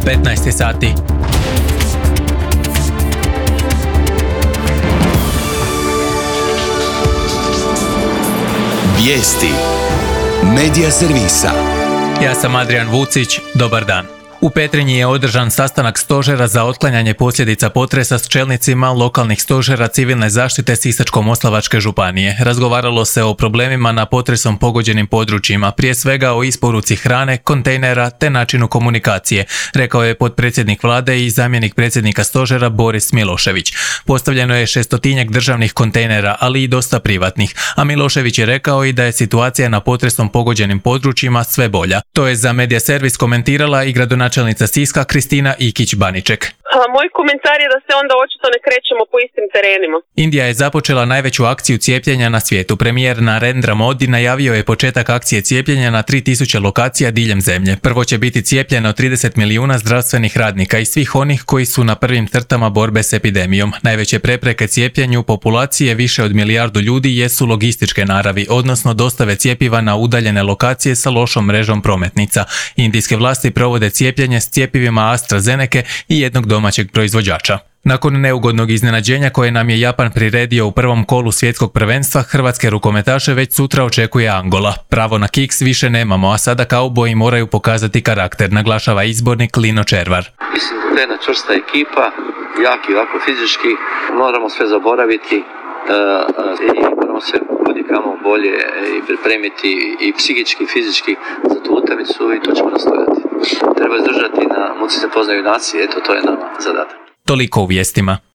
15 sati. Vijesti Medija servisa. Ja sam Adrian Vucić, dobar dan. U Petrinji je održan sastanak stožera za otklanjanje posljedica potresa s čelnicima lokalnih stožera civilne zaštite Sisačko-moslavačke županije. Razgovaralo se o problemima na potresom pogođenim područjima, prije svega o isporuci hrane, kontejnera te načinu komunikacije, rekao je potpredsjednik vlade i zamjenik predsjednika stožera Boris Milošević. Postavljeno je 600-tinjak državnih kontejnera, ali i dosta privatnih, a Milošević je rekao i da je situacija na potresom pogođenim područjima sve bolja. To je za Medija servis komentirala i gradonačelnica Siska Kristina Ikić-Baniček. Moj komentar je da se onda očito ne krećemo po istim terenima. Indija je započela najveću akciju cijepljenja na svijetu. Premijer Narendra Modi najavio je početak akcije cijepljenja na 3000 lokacija diljem zemlje. Prvo će biti cijepljeno 30 milijuna zdravstvenih radnika i svih onih koji su na prvim crtama borbe s epidemijom. Najveće prepreke cijepljenju populacije više od 1 milijardu ljudi jesu logističke naravi, odnosno dostave cjepiva na udaljene lokacije sa lošom mrežom prometnica. Indijske vlasti provode cijepljenje s cjepivima AstraZeneke i jednog domaćeg proizvođača. Nakon neugodnog iznenađenja koje nam je Japan priredio u prvom kolu svjetskog prvenstva, hrvatske rukometaše već sutra očekuje Angola. Pravo na kiks više nemamo, a sada kauboji moraju pokazati karakter, naglašava izbornik Lino Červar. Mislim da je jedna čvrsta ekipa, jaki ovako fizički, moramo sve zaboraviti i moramo se kudikamo bolje i pripremiti i psihički i fizički za tu utakmicu i to ćemo nastojati. Treba izdržati na muci se poznaju nacije, eto to je nama zadatak. Toliko u vijestima.